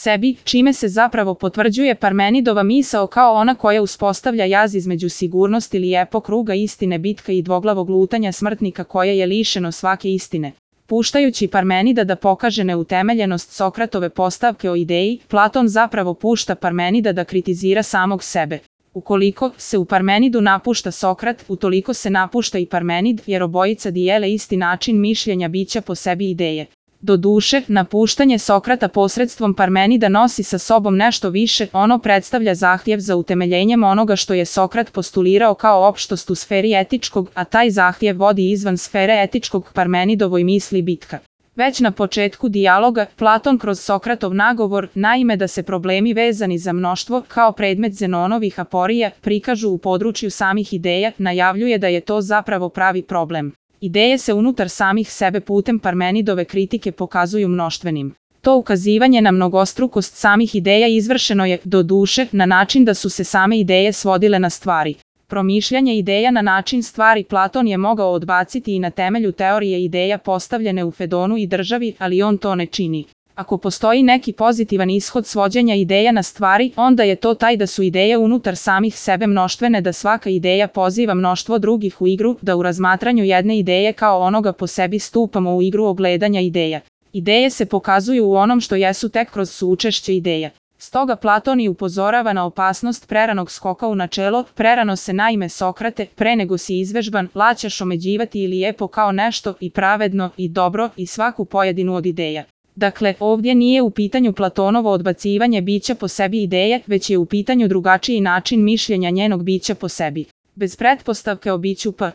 sebi, čime se zapravo potvrđuje Parmenidova misao kao ona koja uspostavlja jaz između sigurnosti lijepo kruga istine bitka i dvoglavog lutanja smrtnika koje je lišeno svake istine. Puštajući Parmenida da pokaže neutemeljenost Sokratove postavke o ideji, Platon zapravo pušta Parmenida da kritizira samog sebe. Ukoliko se u Parmenidu napušta Sokrat, utoliko se napušta i Parmenid, jer obojica dijele isti način mišljenja bića po sebi ideje. Doduše, napuštanje Sokrata posredstvom Parmenida nosi sa sobom nešto više, ono predstavlja zahtjev za utemeljenjem onoga što je Sokrat postulirao kao opštost u sferi etičkog, a taj zahtjev vodi izvan sfere etičkog Parmenidovoj misli bitka. Već na početku dijaloga, Platon kroz Sokratov nagovor, naime da se problemi vezani za mnoštvo, kao predmet Zenonovih aporija, prikažu u području samih ideja, najavljuje da je to zapravo pravi problem. Ideje se unutar samih sebe putem Parmenidove kritike pokazuju mnoštvenim. To ukazivanje na mnogostrukost samih ideja izvršeno je, doduše, na način da su se same ideje svodile na stvari. Promišljanje ideja na način stvari Platon je mogao odbaciti i na temelju teorije ideja postavljene u Fedonu i državi, ali on to ne čini. Ako postoji neki pozitivan ishod svođenja ideja na stvari, onda je to taj da su ideje unutar samih sebe mnoštvene, da svaka ideja poziva mnoštvo drugih u igru, da u razmatranju jedne ideje kao onoga po sebi stupamo u igru ogledanja ideja. Ideje se pokazuju u onom što jesu tek kroz suučešće ideja. Stoga Platon i upozorava na opasnost preranog skoka u načelo, prerano se naime Sokrate, pre nego si izvežban, laćaš omeđivati i lijepo kao nešto, i pravedno, i dobro, i svaku pojedinu od ideja. Dakle, ovdje nije u pitanju Platonovo odbacivanje bića po sebi ideje, već je u pitanju drugačiji način mišljenja njenog bića po sebi. Bez pretpostavke o biću P.